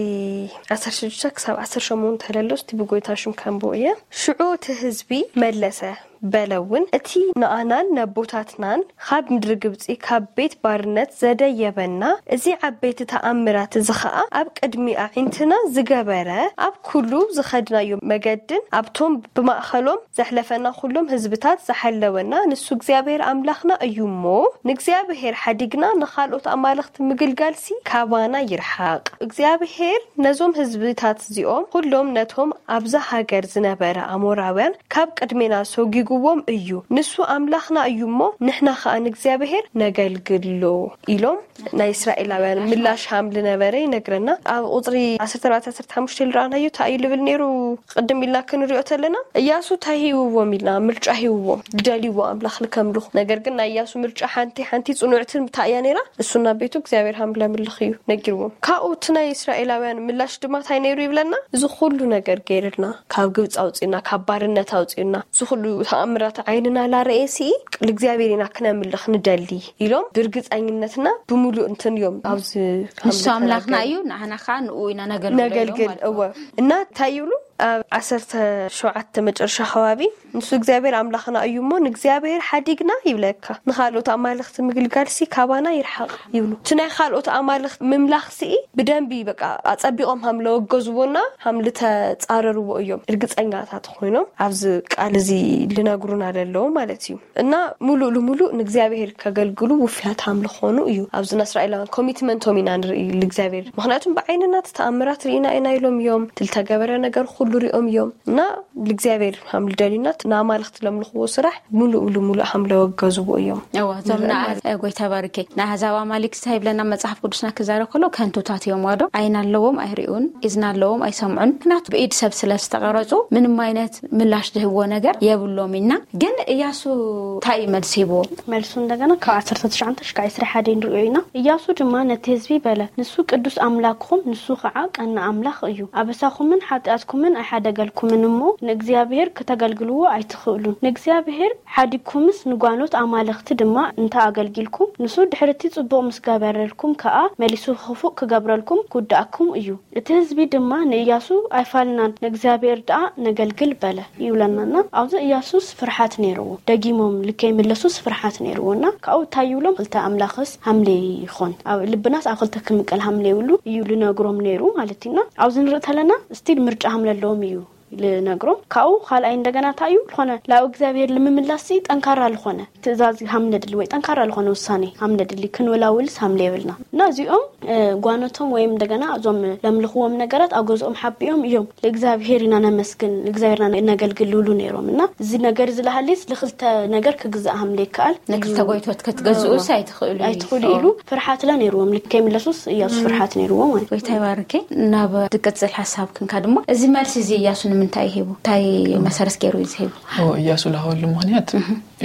ዓሰርተ ሽዱሽተ ክሳብ ዓሰርተ ሸሞንተ ለሎ እስቲ ብጎይታ ሽም ከንብቦ እየ። ሽዑ እቲ ህዝቢ መለሰ፣ በለ እውን፣ እቲ ንኣናን ነቦታትናን ካብ ምድሪ ግብጺ፣ ካብ ቤት ባርነት ዘደየበና፣ እዚ ዓበይቲ ተኣምራት እዚ ኸኣ ኣብ ቅድሚ ኣዒንትና ዝገበረ፣ ኣብ ኩሉ ዝኸድናዮ መገድን ኣብቶም ብማእኸሎም ዘሕለፈና ኩሎም ህዝብታት ዝሓለወና ንሱ እግዚኣብሔር ኣምላኽና እዩ እሞ፣ ንእግዚኣብሔር ሓዲግና ንኻልኦት ኣማልኽቲ ምግልጋልሲ ካባና ይርሓቕ። እግዚኣብሔር ነዞም ህዝብታት እዚኦም ኩሎም ነቶም ኣብዛ ሃገር ዝነበረ ኣሞራውያን ካብ ቅድሜና ሰጒግዎም እዩ። ንሱ ኣምላኽና እዩ እሞ፣ ንሕና ኸኣ ንእግዚኣብሔር ነገልግሎ ኢሎም ናይ እስራኤላውያን ምላሽ ሃም ዝነበረ ይነግረና። ኣብ ቁፅሪ ዓሰርተ ኣርባዕተ ዓሰርተ ሓሙሽተ ዝረኣናዮ እንታይ እዩ ልብል ነይሩ? ቅድም ኢልና ክንሪኦ ተለና፣ እያሱ እንታይ ሂውዎም ኢልና፣ ምርጫ ሂውዎም፣ ዝደልይዎ ኣምላኽ ልከምልኹ። ነገር ግን ናይ እያሱ ምርጫ ሓንቲ ሓንቲ ጽኑዕትን እንታይ እያ ነይራ? እሱና ቤቱ እግዚኣብሔር ሃም ለምልኽ እዩ ነጊርዎም። ካብኡ እቲ ናይ እስራኤላውያን ምላሽ ድማ እንታይ ነይሩ ይብለና? እዚ ኩሉ ነገር ገይርልና፣ ካብ ግብፂ ኣውፅእና፣ ካብ ባርነት ኣውፅእና፣ እዚ ኩሉ ተኣምራት ዓይንና ላረኤ ሲ ንእግዚኣብሔር ኢና ክነምልኽ ንደሊ ኢሎም ብርግፀኝነትና ብምሉእ እንትን እዮም ኣብዚ ንሱ ኣምላኽና እዩ፣ ንዓና ከዓ ንኡ ኢና ነገልግሎ ኢሎም ነገልግል ማለት እዩ። እወ። እና እንታይ ይብሉ? ኣብ ዓሰርተ ሸውዓተ መጨረሻ ከባቢ፣ ንሱ እግዚኣብሔር ኣምላኽና እዩ እሞ፣ ንእግዚኣብሔር ሓዲግና ይብለካ፣ ንኻልኦት ኣማልኽቲ ምግልጋልሲ ካባና ይርሓቕ ይብሉ። እቲ ናይ ካልኦት ኣማልኽቲ ምምላኽሲ ብደንቢ በቃ ኣጸቢቖም ሃም ለወገዝዎና ሃም ልተጻረርዎ እዮም ርግጸኛታት ኮይኖም ኣብዚ ቃል እዚ ልነግሩና ለለዉ ማለት እዩ። እና ሙሉእ ልሙሉእ ንእግዚኣብሔር ከገልግሉ ውፍያት ሃም ልኾኑ እዩ። ኣብዚ ንእስራኤላውያን ኮሚትመንቶም ኢና ንርኢ ልእግዚኣብሔር። ምኽንያቱም ብዓይንና እቲ ተኣምራት ርኢና ኢና ኢሎም እዮም። እቲ ልተገበረ ነገር ኩሉ ሪኦም እዮም። እና ልእግዚኣብሔር ሃም ልደልዩና እቲ ንኣማልኽቲ ለምልኽዎ ስራሕ ሙሉእ ልሙሉእ ሃም ለወገዝዎ እዮም። እዋ፣ እዞም ንርኢ ንኣ-፣ ማለት። እ፣ ጎይታ ባርከይ። ንኣህዛብ ኣማሊክ እንታይ ይብለና መጽሓፍ ቅዱስና ክዛረብ ከሎ ከንቱታት እዮም ዋዶ። ዓይኒ ኣለዎም ኣይርእዩን፣ እዝኒ ኣለዎም ኣይሰምዑን። ምኽንያቱ ብኢድ ሰብ ስለ ዝተቐረጹ ምንም ዓይነት ምላሽ ዝህብዎ ነገር የብሎም ኢልና። ግን እያሱ እንታይ እዩ መልሲ ሂብዎ? መልሱ እንደገና ካብ ዓሰርተ ትሽዓተ ክሳብ ዕስራ ሓደ ንርእዮ ኢና። እያሱ ድማ ነቲ ህዝቢ በለ፣ ንሱ ቅዱስ ኣምላኽኩም፣ ንሱ ኸዓ ቀና ኣምላኽ እዩ። ኣበሳኹምን ሓጢኣትኩምን ኣይሓደገልኩምን እሞ፣ ንእግዚኣብሔር ክተገልግልዎ ኣይትኽእሉን። ንእግዚኣብሔር ሓዲግኩምስ ንጓኖት ኣማልኽቲ ድማ እንተ ኣገልጊልኩም፣ ንሱ ድሕርቲ ጽቡቕ ምስ ገበረልኩም ከኣ፣ መሊሱ ክፉእ ክገብረልኩም ክውድኣኩም እዩ። እቲ ህዝቢ ድማ ንእያሱ፣ ኣይፋልናን፣ ንእግዚኣብሔር ደኣ ነገልግል በለ ይብለናና። ኣብዚ እያሱስ ፍርሓት ነይርዎ። ደጊሞም ልከይምለሱስ ፍርሓት ነይርዎና። ካብኡ እንታይ ይብሎም? ክልተ ኣምላኽስ ሃምለ ይኾን? ኣብ ልብናስ ኣብ ክልተ ክምቀል ሃምለ ይብሉ እዩ ልነግሮም ነይሩ ማለት እዩና። ኣብዚ ንርኢ ተለና ስቲል ምርጫ ሃምለ ኣለዎም እዩ ልነግሮም። ካብኡ ካልኣይ እንደገና እንታይ እዩ? ዝኾነ ላብ እግዚኣብሔር ልምምላስ ጠንካራ ልኾነ ትእዛዝ ሃምለ ድሊ ወይ ጠንካራ ልኾነ ውሳኔ ሃምለ ድሊ ክንወላውልስ ሃምለ የብልና። እና እዚኦም፣ እ፣ ጓነቶም ወይም እንደገና እዞም ለምልኽዎም ነገራት ኣብ ገዝኦም ሓቢኦም እዮም። "ለእግዚኣብሔር ኢና ነመስግን፣ ለእግዚኣብሔርና ነገልግል" ይብሉ ነይሮም። እና እዚ ነገር እዚ ለሃልስ ልኽልተ ነገር ክግዛእ ሃምለ ይከኣል። ንክልተ እዩ። ጎይቶት ክትገዝኡስ ኣይትኽእሉ እዩ። ኣይትኽእሉ ኢሉ ፍርሓት ላ ነይርዎም። ልክ ከይምለሱስ እያሱ ፍርሓት ነይርዎ ማለት እዩ። ጎይታ ይባርከይ። ናብ ትቅጽል ሓሳብ ክንካ ድማ እዚ መልሲ እዚ እያሱ ንምንታይ ሂቡ? እንታይ መሰረት ገይሩ እዩ ዝሂቡ? ኦ፣ እያሱ ለሃበሉ ምኽንያት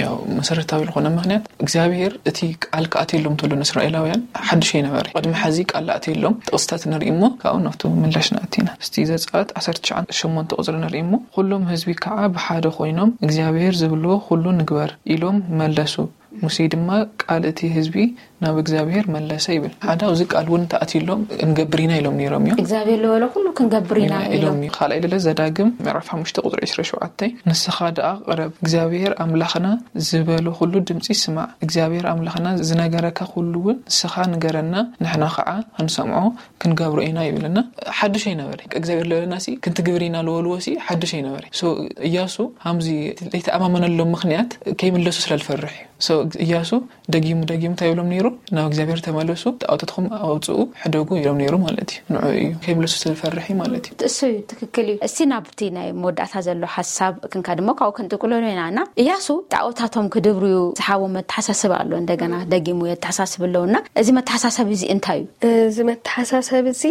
ያው መሰረታዊ ዝኾነ ምኽንያት እግዚኣብሔር እቲ ቃል ክኣትየሎም እንተሎ ንእስራኤላውያን ሓድሽ ኣይነበረ። ቅድሚ ሕዚ ቃል ኣትየሎም ጥቕስታት ንርኢ እሞ ካብኡ ናብቲ ምላሽ ንኣቲ ኢና። እስቲ ዘጸኣት ዓሰርተ ትሽዓተ ሸሞንተ ቁጽሪ ንርኢ እሞ፣ "ኩሎም ህዝቢ ከዓ ብሓደ ኮይኖም እግዚኣብሔር ዝብልዎ ኩሉ ንግበር" ኢሎም መለሱ። ሙሴ ድማ ቃል እቲ ህዝቢ ናብ እግዚኣብሔር መለሰ ይብል። ሓደ ኣብዚ ቃል እውን ተኣትየሎም ክንገብር ኢና ኢሎም ነይሮም እዮም። እግዚኣብሔር ዝበሎ ኩሉ ክንገብር ኢና ኢሎም ኢሎም። እዮም። ካልኣይ ለለ ዘዳግም ምዕራፍ ሓሙሽተ ቁጽሪ ዕስራን ሸውዓተን፣ "ንስኻ ደኣ ቅረብ፣ እግዚኣብሔር ኣምላኽና ዝበሎ ኩሉ ድምጺ ስማዕ። እግዚኣብሔር ኣምላኽና ዝነገረካ ኩሉ እውን ንስኻ ንገረና፣ ንሕና ኸዓ ክንሰምዖ ክንገብሮ ኢና" ይብልና። ሓድሽ ኣይነበረ። እግዚኣብሔር ለበለና ሲ ክንትግብር ኢና ለበልዎ ሲ ሓድሽ ኣይነበረ። ሶ እያሱ ሃምዚ ለይተኣማመነሎም ምኽንያት ከይምለሱ ስለ ልፈርሕ እዩ። ሶ እያሱ ደጊሙ ደጊሙ እንታይ ይብሎም ነይሩ? "ናብ እግዚኣብሔር ተመለሱ፣ ጣዖታትኩም ኣውፅኡ፣ ሕደጉ" ኢሎም ነይሩ ማለት እዩ። ንዑ እዩ ከይምለሱ ስለ ልፈርሕ እዩ ማለት እዩ። እሱ እዩ፣ ትክክል እዩ። እስቲ ናብቲ ናይ መወዳእታ ዘሎ ሓሳብ ክንካ ድማ ካብኡ ክንጥቅለሉ ኢና። እና እያሱ ጣዖታቶም ክድብርዩ ዝሓቦ መተሓሳስብ ኣሎ፣ እንደገና ደጊሙ የተሓሳስብ ኣለውና፣ እዚ መተሓሳሰብ እዚ እንታይ እዩ? እዚ መተሓሳሰብ እዚ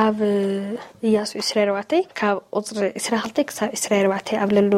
ኣብ እያሱ ዕስራን ኣርባዕተን ካብ ቁጽሪ ዕስራን ክልተን ክሳብ ዕስራን ኣርባዕተን ኣብ ለሉ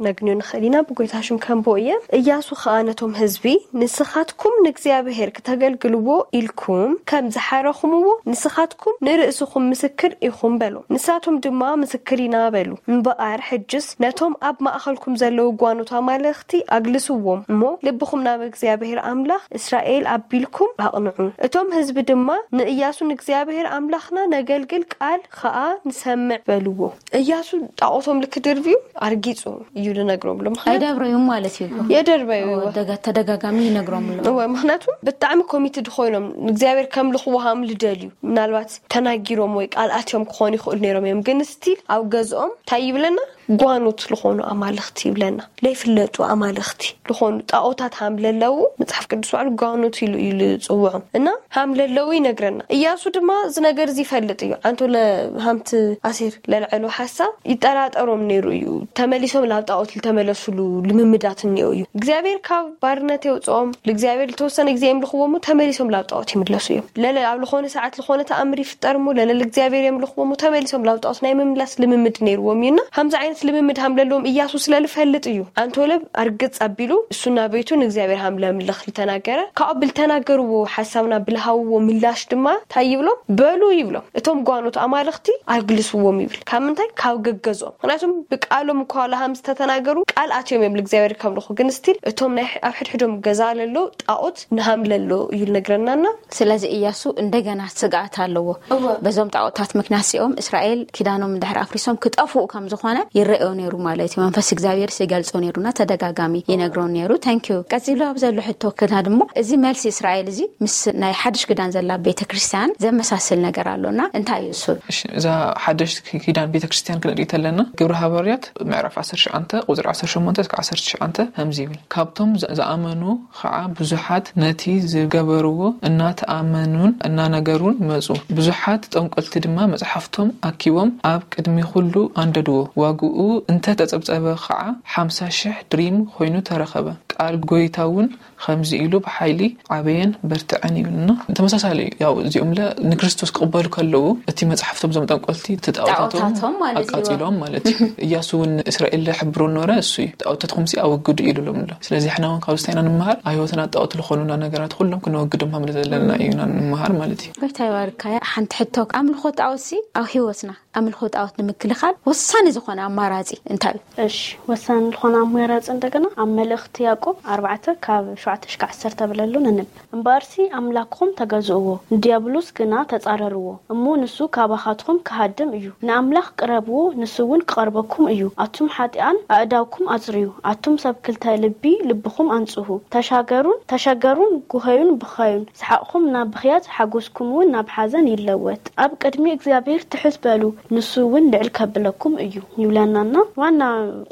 ነግንዮ ንኽእል ኢና። ብጎይታ ሽም ከንብቦ እየ። እያሱ ኸኣ ነቶም ህዝቢ፣ "ንስኻትኩም ንእግዚኣብሔር ክተገልግልዎ ኢልኩም ከም ዝሓረኹምዎ፣ ንስኻትኩም ንርእስኹም ምስክር ኢኹም" በሎ። ንሳቶም ድማ "ምስክር ኢና" በሉ። እምበኣር ሕጅስ ነቶም ኣብ ማእኸልኩም ዘለዉ ጓኖት ኣማልኽቲ ኣግልስዎም እሞ፣ ልብኹም ናብ እግዚኣብሔር ኣምላኽ እስራኤል ኣቢልኩም ኣቕንዑ። እቶም ህዝቢ ድማ ንእያሱ፣ "ንእግዚኣብሔር ኣምላኽና ነገል ግን ቃል ኸኣ ንሰምዕ በልዎ። እያሱ ጣዖቶም ልክድርብዩ ኣርጊጹ እዩ ልነግሮም ኣሎ። ምኽንያቱ ኣይደብረዩም ማለት እዩ። የደርበዩ ደጋ ተደጋጋሚ ይነግሮም ኣሎ። እወ፣ ምኽንያቱ ብጣዕሚ ኮሚትድ ኮይኖም ንእግዚኣብሔር ከምልኽዎ ሃም ልደልዩ። ምናልባት ተናጊሮም ወይ ቃል ኣትዮም ክኾኑ ይኽእሉ ነይሮም እዮም። ግን ስቲል ኣብ ገዝኦም እንታይ ይብለና? ጓኖት ዝኾኑ ኣማልኽቲ ይብለና። ለይፍለጡ ኣማልኽቲ ዝኾኑ ጣዖታት ሃም ለለዉ መጽሓፍ ቅዱስ ባዕሉ ጓኖት ኢሉ እዩ ዝጽውዖም። እና ሃም ለለዉ ይነግረና። እያሱ ድማ እዚ ነገር እዚ ይፈልጥ እዩ። ኣንቶ ለሃምቲ ኣሴር ለልዐሉ ሓሳብ ይጠራጠሮም ነይሩ እዩ። ተመሊሶም ላብ ጣዖት ልተመለሱሉ ልምምዳት እኒኦ እዩ። እግዚኣብሔር ካብ ባርነት የውፅኦም። ልእግዚኣብሔር ልተወሰነ ግዜ የምልኽዎ እሞ ተመሊሶም ላብ ጣዖት ይምለሱ እዮም። ለለ ኣብ ዝኾነ ሰዓት ዝኾነ ተኣምር ይፍጠር እሞ ለለ ልእግዚኣብሔር የምልኽዎ እሞ ተመሊሶም ላብ ጣዖት ናይ ምምላስ ልምምድ ነይርዎም እዩና፣ ከምዚ ዓይነት ልምምድ ሃም ለለዎም እያሱ ስለ ልፈልጥ እዩ። ኣንቶለብ ኣርግጽ ኣቢሉ እሱና ቤቱ ንእግዚኣብሔር ሃም ለምልኽ ልተናገረ። ካብኡ ብልተናገርዎ ሓሳብና ብልሃውዎ ምላሽ ድማ እንታይ ይብሎም? በሉ ይብሎም። እቶም ጓኖት ኣማልኽቲ ኣግልስዎም ይብል። ካብ ምንታይ? ካብ ገገዝኦም። ምክንያቱም ብቃሎም እኳ ለሃም ዝተተናገሩ ቃል ኣትዮም እዮም ልእግዚኣብሔር ከምልኹ። ግን ስቲል እቶም ናይ ኣብ ሕድሕዶም ገዛ ለሎ ጣዖት ንሃም ለሎ እዩ ልነግረናና። ስለዚ እያሱ እንደገና ስግኣት ኣለዎ። እወ። በዞም ጣዖታት ምክንያት ሲኦም እስራኤል ኪዳኖም እንድሕር ኣፍሪሶም ክጠፍኡ ከም ዝኾነ ይረአዮ ነይሩ ማለት እዩ። መንፈስ እግዚኣብሔር ሲገልጾ ነይሩና ተደጋጋሚ ይነግሮ ነይሩ። ታንኪዩ። ቀጺሉ ኣብ ዘሎ ሕቶ ክና ድሞ እዚ መልሲ እስራኤል እዚ ምስ ናይ ሓድሽ ክዳን ዘላ ቤተ ክርስቲያን ዘመሳስል ነገር ኣሎና። እንታይ እዩ እሱ? እሺ፣ እዛ ሓደሽ ኪዳን ቤተክርስትያን ክንርኢ ተለና ግብረ ሃዋርያት ምዕራፍ ዓሰርተ ትሽዓተ ቁፅሪ ዓሰርተ ሸሞንተ እስከ ዓሰርተ ትሽዓተ ከምዚ ይብል፣ ካብቶም ዝ- ዝኣመኑ ከዓ ብዙሓት ነቲ ዝገበርዎ እናተኣመኑን እናነገሩን መፁ። ብዙሓት ጠንቆልቲ ድማ መፅሓፍቶም ኣኪቦም ኣብ ቅድሚ ኩሉ ኣንደድዎ። ዋግኡ እንተተፀብፀበ ከዓ ሓምሳ ሽሕ ድሪም ኮይኑ ተረኸበ። ቃል ጎይታ እውን ከምዚ ኢሉ ብሓይሊ ዓበየን በርትዐን ይብልና። ተመሳሳሊ እዩ። ያው እዚኦም ለ ንክርስቶስ ክቕበሉ ከለዉ እቲ መፅሓፍቶም እዞም ጠንቆልቲ እቲ ጣዖታቶም ጣዖታቶም ማለት እዩ። ኣቃፂሎም ማለት እዩ። እያሱ እውን እስራኤል ሕብሮ ኖረ እሱ እዩ። ጣዖታትኩም ሲ ኣወግዱ ኢሉ ሎም ኣሎ። ስለዚ ሕና እውን ካብ ስታይና ንምሃር ኣህይወትና ጣዖት ዝኾኑና ነገራት ኩሎም ክነወግዶም ከም ዘለና እዩና ንምሃር ማለት እዩ። ጎይታ ይባርካ። ሓንቲ ሕቶ፣ ኣምልኾ ጣዖት ሲ ኣብ ህይወትና ኣምልኾ ጣዖት ንምክልኻል ወሳኒ ዝኾነ ኣማራፂ እንታይ እዩ? እሺ፣ ወሳኒ ዝኾነ ኣማራፂ እንደገና ኣብ መልእኽቲ ያዕቆብ ኣርባዕተ ካብ ሸውዓተ ክሳብ ዓሰርተ ብለሉ ነንብ። እምበኣርሲ ኣምላኽኩም ተገዝእዎ፣ ንዲያብሎስ ግና ተጻረርዎ፣ እሞ ንሱ ካባኻትኩም ክሃድም እዩ። ንኣምላኽ ቅረብዎ፣ ንሱ እውን ክቐርበኩም እዩ። ኣቱም ሓጢኣን ኣእዳውኩም ኣጽርዩ፣ ኣቱም ሰብ ክልተ ልቢ ልብኹም ኣንጽሁ። ተሻገሩን ተሸገሩን ጉሀዩን ብኸዩን፣ ሰሓቕኹም ናብ ብኽያት ሓጎስኩም እውን ናብ ሓዘን ይለወጥ። ኣብ ቅድሚ እግዚኣብሔር ትሕት በሉ፣ ንሱ እውን ልዕል ከብለኩም እዩ ይብለናና። ዋና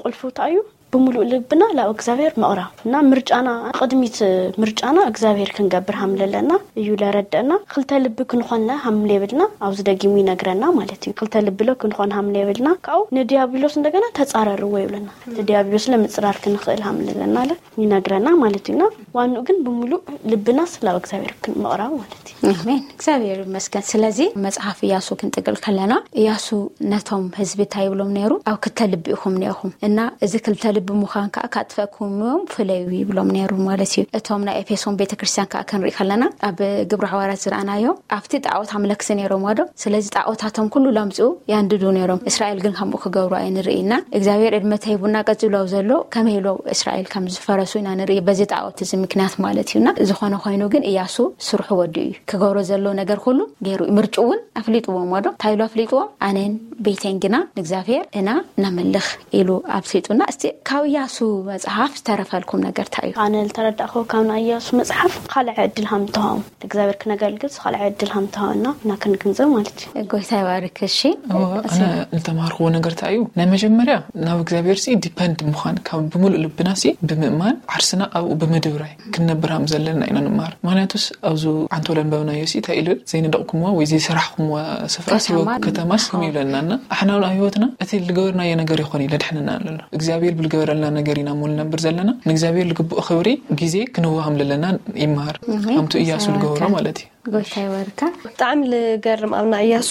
ቁልፉ እንታይ እዩ? ብምሉእ ልብና ላብ እግዚኣብሔር ምቕራብ እና ምርጫና ቅድሚት ምርጫና እግዚኣብሔር ክንገብር ሃምለለና እዩ ለረደና። ክልተ ልቢ ክንኾንለ ሃምሌብልና ኣብዚ ደጊሙ ይነግረና ማለት እዩ። ክልተ ልቢ ሎ ክንኾን ሃምሌብልና ካብኡ ንዲያብሎስ እንደገና ተጻረርዎ ይብለና። ንዲያብሎስ ለምጽራር ክንኽእል ሃምለለና ለ ይነግረና ማለት እዩና። ዋንኡ ግን ብምሉእ ልብና ስላብ እግዚኣብሔር ክንምቕራብ ማለት እዩ። ኣሜን። እግዚኣብሔር ይመስገን። ስለዚ መጽሓፍ እያሱ ክንጥቅል ከለና እያሱ ነቶም ህዝቢ እንታይ ይብሎም ነይሩ? ኣብ ክልተ ልቢ ኢኹም ኒኦኹም እና እዚ ክልተ ልቢ ምዃን ከዓ ካጥፈእኩም እዮም ፍለዩ ይብሎም ነይሩ ማለት እዩ። እቶም ናይ ኤፌሶን ቤተክርስትያን ከዓ ክንርኢ ከለና ኣብ ግብረ ሓዋርያት ዝረኣናዮ ኣብቲ ጣዖት ኣምለክቲ ነይሮም ዋዶ። ስለዚ ጣዖታቶም ኩሉ ለምፅኡ ያንድዱ ነይሮም። እስራኤል ግን ከምኡ ክገብሩ ኣይንርኢና። እግዚኣብሔር ዕድመ ተሂቡና ቀፂሉ ኣብ ዘሎ ከመይ ኢሎ እስራኤል ከም ዝፈረሱ ኢና ንርኢ በዚ ጣዖት እዚ ምክንያት ማለት እዩና። ዝኾነ ኮይኑ ግን እያሱ ስርሑ ወዲኡ እዩ። ክገብሮ ዘሎ ነገር ኩሉ ገይሩ እዩ። ምርጭኡ እውን ኣፍሊጥዎም ዋዶ እንታይ ኢሉ ኣፍሊጥዎም? ኣነን ቤተን ግና ንእግዚኣብሔር እና ነምልኽ ኢሉ ኣፍሊጡና። እስቲ ካብ እያሱ መጽሓፍ ዝተረፈልኩም ነገር እንታይ እዩ? ኣነ ዝተረዳእኹ ካብ ናይ እያሱ መጽሓፍ ካልዕ ዕድል ሃምተዋም እግዚኣብሔር ክነገልግል ካልዕ ዕድል ሃምተዋና እና ክንግንዘብ ማለት እዩ። ጎይታ ይባርክ። እሺ እወ፣ ኣነ ዝተማሃርክዎ ነገር እንታይ እዩ? ናይ መጀመርያ ናብ እግዚኣብሔር ሲ ዲፐንድ ምዃን ካብ ብምሉእ ልብና ሲ ብምእማን ዓርስና ኣብኡ ብምድብራይ ክንነብር ሃም ዘለና ኢና ንመሃር። ምክንያቱስ ኣብዚ ዓንቶ ለንበብናዮ ሲ እንታይ ኢሉ ዘይነደቕኩምዋ ወይ ዘይሰራሕኩምዋ ስፍራ ከተማ ከተማስ ከም ይብለናና ኣሕና ኣብ ህይወትና እቲ ዝገበርናዮ ነገር ይኾን እዩ ለድሕንና ኣሎ። እግዚኣብሔር ብልገበረልና ነገር ኢና እሞ ንነብር ዘለና። ንእግዚኣብሔር ልግብኦ ክብሪ ግዜ ክንወሃም ለለና ይመሃር። ኣሜን። ከምቱ እያሱ ልገበሮ ሰላምካ። ማለት እዩ። ጎይታ ይባርካ። ብጣዕሚ ልገርም ኣብ ናይ እያሱ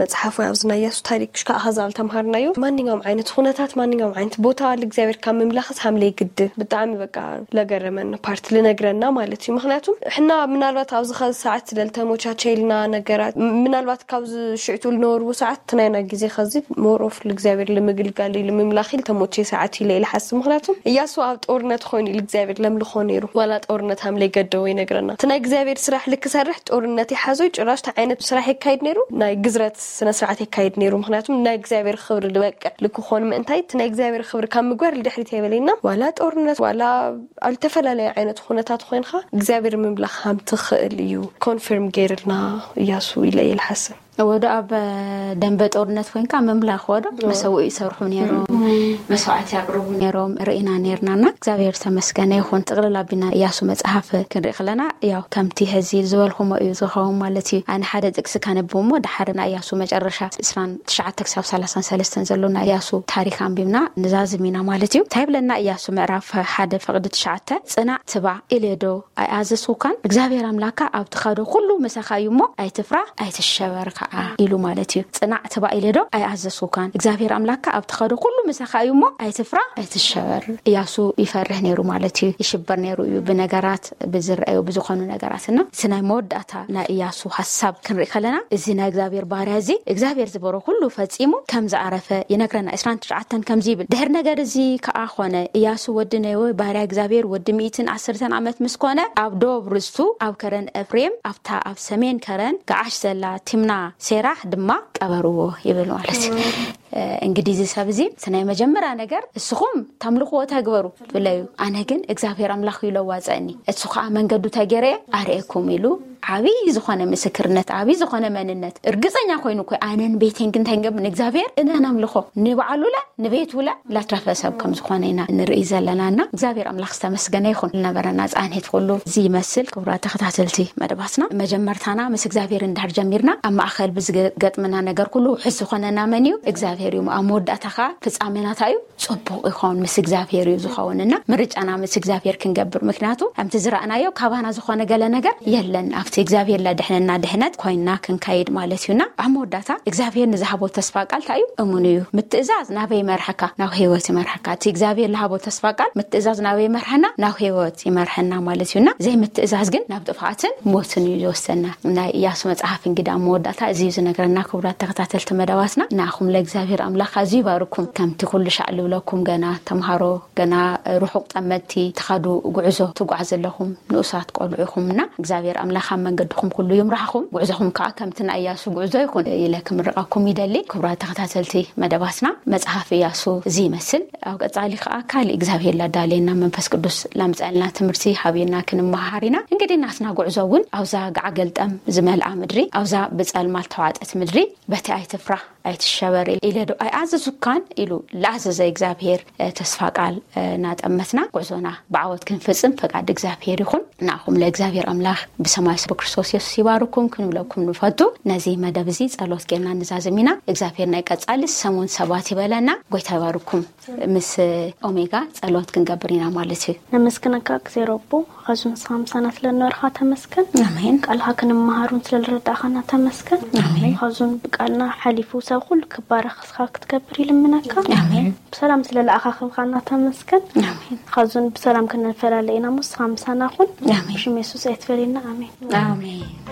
መጽሓፍ ወይ ኣብዚ ናይ እያሱ ታሪክ ሽካ ኣኸዛብ ተምሃርናዮ ማንኛውም ዓይነት ኩነታት ማንኛውም ዓይነት ቦታ ልእግዚኣብሔር ካብ ምምላኽስ ሃምለ ይግድል። ብጣዕሚ በቃ ለገረመኒ ፓርት ልነግረና ማለት እዩ። ምክንያቱም ሕና ምናልባት ኣብዚ ኸዚ ሰዓት ስለልተሞቻቸ ኢልና ነገራት ም- ምናልባት ካብዚ ሽዕቱ ልነበርዎ ሰዓት ትናይና ግዜ ኸዚ ሞሮፍ ልእግዚኣብሔር ልምግልጋል ልምምላኽ ልተሞቼ ሰዓት ኢለ ኢለ ሓስብ። ምክንያቱም እያሱ ኣብ ጦርነት ኮይኑ ልእግዚኣብሔር ለምልኾ ነይሩ ዋላ ጦርነት ሃምለ ይገደዎ ይነግረና። እቲ ናይ እግዚኣብሔር ስራሕ ልክስ ሰርሕ ጦርነት ይሓዞ ጭራሽ እንታይ ዓይነት ስራሕ የካይድ ነይሩ? ናይ ግዝረት ስነ ስርዓት የካይድ ነይሩ። ምክንያቱም ናይ እግዚኣብሔር ክብሪ ዝበቅዕ ልክኾን ምእንታይ እቲ ናይ እግዚኣብሔር ክብሪ ካብ ምግባር ልድሕሪት የበለና። ዋላ ጦርነት ዋላ ኣብ ዝተፈላለዩ ዓይነት ኩነታት ኮይንካ እግዚኣብሔር ምምላኽ ከም ትኽእል እዩ ኮንፊርም ገይርልና እያሱ ኢለ እየ ልሓስብ። ወዶ ኣብ ደንበ ጦርነት ኮይንካ ምምላኽ ወዶ መሰውኡ ይሰርሑ ነይሮም፣ መስዋዕት ያቅርቡ ነይሮም ርኢና ነይርናና። እግዚኣብሔር ተመስገነ ይኹን። ጥቕልል ኣቢና እያሱ መጽሓፍ ክንርኢ ከለና ያው ከምቲ ሕዚ ዝበልኩሞ እዩ ዝኸውን ማለት እዩ። ኣነ ሓደ ጥቅሲ ካነብብ እሞ ድሓር ናይ እያሱ መጨረሻ ዕስራን ትሽዓተ ክሳብ ሰላሳን ሰለስተን ዘሎ ናይ እያሱ ታሪክ ኣንቢብና ንዛዝም ኢና ማለት እዩ። እንታይ ይብለና እያሱ ምዕራፍ ሓደ ፍቕዲ ትሽዓተ? ጽናዕ ትባ ኢሌዶ ኣይኣዘዝኩካን? እግዚኣብሔር ኣምላካ ኣብ ትኸዶ ኩሉ ምሳኻ እዩ እሞ ኣይትፍራ ኣይትሸበር ከዓ ኢሉ ማለት እዩ። ጽናዕ ትባ ኢሌዶ ኣይኣዘዝኩካን? እግዚኣብሔር ኣምላካ ኣብ ትኸዶ ኩሉ ምሳኻ እዩ እሞ ኣይትፍራ ኣይትሸበር። እያሱ ይፈርህ ነይሩ ማለት እዩ። ይሽበር ነይሩ እዩ ብነገራት፣ ብዝረአዩ፣ ብዝኾኑ ነገራት። እና እቲ ናይ መወዳእታ ናይ እያሱ ሐሳብ ክንርኢ ከለና እዚ ናይ እግዚኣብሔር ባርያ እዚ እግዚኣብሔር ዝበሮ ኩሉ ፈጺሙ ከም ዝዓረፈ ይነግረና። ዕስራን ትሽዓተን ከምዚ ይብል፣ ድሕሪ ነገር እዚ ከዓ ኾነ እያሱ ወዲ ነዌ ባርያ እግዚኣብሔር ወዲ ሚእትን ዓሰርተን ዓመት ምስ ኮነ ኣብ ዶብ ርስቱ ኣብ ከረን ኤፍሬም ኣብታ ኣብ ሰሜን ከረን ገዓሽ ዘላ ቲምና ሴራህ ድማ ቀበርዎ ይብል ማለት እዩ። እንግዲህ እዚ ሰብ እዚ እቲ ናይ መጀመርያ ነገር እስኹም ተምልኽዎ ተግበሩ ብለዩ፣ ኣነ ግን እግዚኣብሔር ኣምላኽ እዩ ለዋፀኒ፣ እሱ ከዓ መንገዱ ተገይረ ኣርእየኩም ኢሉ ዓብይ ዝኾነ ምስክርነት፣ ዓብይ ዝኾነ መንነት እርግፀኛ ኮይኑ እኮ ኣነን ቤቴን ግን እንታይ ንገብር ንእግዚኣብሔር እነ ነምልኾ ንበዓሉለ ንቤቱለ ላትረፈ ሰብ ከም ዝኾነ ኢና ንርኢ ዘለና። እና እግዚኣብሔር ኣምላኽ ዝተመስገነ ይኹን። ዝነበረና ፃንሒት ኩሉ እዚ ይመስል። ክቡራት ተኸታተልቲ መደባትና፣ መጀመርታና ምስ እግዚኣብሔር እንድሕር ጀሚርና ኣብ ማእኸል ብዝገጥመና ነገር ኩሉ ውሕስ ዝኾነና መን እዩ? እግዚኣብሔር እዩ። ኣብ መወዳእታ ከዓ ፍፃሜናታ እዩ ፅቡቅ ይኸውን፣ ምስ እግዚኣብሔር እዩ ዝኸውን። እና ምርጫና ምስ እግዚኣብሔር ክንገብር፣ ምክንያቱ ከምቲ ዝረኣናዮ ካባና ዝኾነ ገለ ነገር የለን። ኣብቲ እግዚኣብሔር ለድሕነና ድሕነት ኮይንና ክንከይድ ማለት እዩና ኣብ መወዳእታ እግዚኣብሔር ንዝሃቦ ተስፋ ቃል እንታይ እዩ? እሙን እዩ። ምትእዛዝ ናበይ ይመርሐካ? ናብ ህይወት ይመርሐካ። እቲ እግዚኣብሔር ዝሃቦ ተስፋ ቃል ምትእዛዝ ናበይ ይመርሐና? ናብ ህይወት ይመርሐና ማለት እዩና ዘይምትእዛዝ ግን ናብ ጥፍኣትን ሞትን እዩ ዝወስደና። ናይ እያሱ መጽሓፍ እንግዲህ ኣብ መወዳእታ እዚ እዩ ዝነግረና። ክቡራት ተኸታተልቲ መደባትና፣ ንኣኹም ለእግዚኣብሔር ኣምላኽ ኣዝዩ ይባርኩም። ከምቲ ኩሉ ሻዕ ልብለኩም፣ ገና ተምሃሮ፣ ገና ርሑቕ ጠመትቲ ትኸዱ ጉዕዞ ትጓዓዙ ኣለኹም፣ ንኡሳት ቆልዑ ኢኹምና እግዚኣብሔር ኣምላኽ ኣብ መንገድኹም ኩሉ ይምራሕኹም። ጉዕዞኹም ከዓ ከምቲ ናይ እያሱ ጉዕዞ ይኹን ኢለ ክምርቐኩም ይደሊ። ክቡራት ተኸታተልቲ መደባትና፣ መጽሓፍ እያሱ እዚ ይመስል። ኣብ ቀጻሊ ከዓ ካልእ እግዚኣብሔር ላዳለየና መንፈስ ቅዱስ ላምፀልና ትምህርቲ ሃብየና ክንመሃር ኢና። እንግዲህ ናትና ጉዕዞ እውን ኣብዛ ገዓ ገልጠም ዝመልኣ ምድሪ፣ ኣብዛ ብጸልማት ተዋጠት ምድሪ በቲ ኣይትፍራ ኣይትሸበር ኢለ ዶ ኣይኣዘዙካን ኢሉ ለኣዘዘ እግዚኣብሔር ተስፋ ቃል ናጠመትና ጉዕዞና ብዓወት ክንፍጽም ፈቃድ እግዚኣብሔር ይኹን። ንኣኹም ለእግዚኣብሔር ኣምላኽ ብሰማይ ብክርስቶስ የሱስ ይባርኩም ክንብለኩም ንፈቱ። ነዚ መደብ እዚ ጸሎት ጌርና ንዛዝም ኢና። እግዚኣብሔር ናይ ቀጻሊ ሰሙን ሰባት ይበለና። ጎይታ ይባርኩም። ምስ ኦሜጋ ጸሎት ክንገብር ኢና ማለት እዩ። ነመስግነካ እግዜሮ ኣቦ፣ ኻዙን ሳምሳና ስለ ነበርካ ተመስገን። ኣሜን። ቃልካ ክንመሃሩን ስለ ዝረዳእካና ተመስገን። ኣሜን። ኻዙን ብቃልና ሓሊፉ ሰብ ኩሉ ክባረኽ እስኻ ክትገብር ይልምነካ። ኣሜን። ብሰላም ስለ ለኣኻኽብካና ተመስገን። ኣሜን። ኻዙን ብሰላም ክንፈላለ ኢና፣ ሞ እስኻ ምሳና ኩን። ኣሜን። ብሽም የሱስ ኣይትፈለየና። ኣሜን። ኣሜን።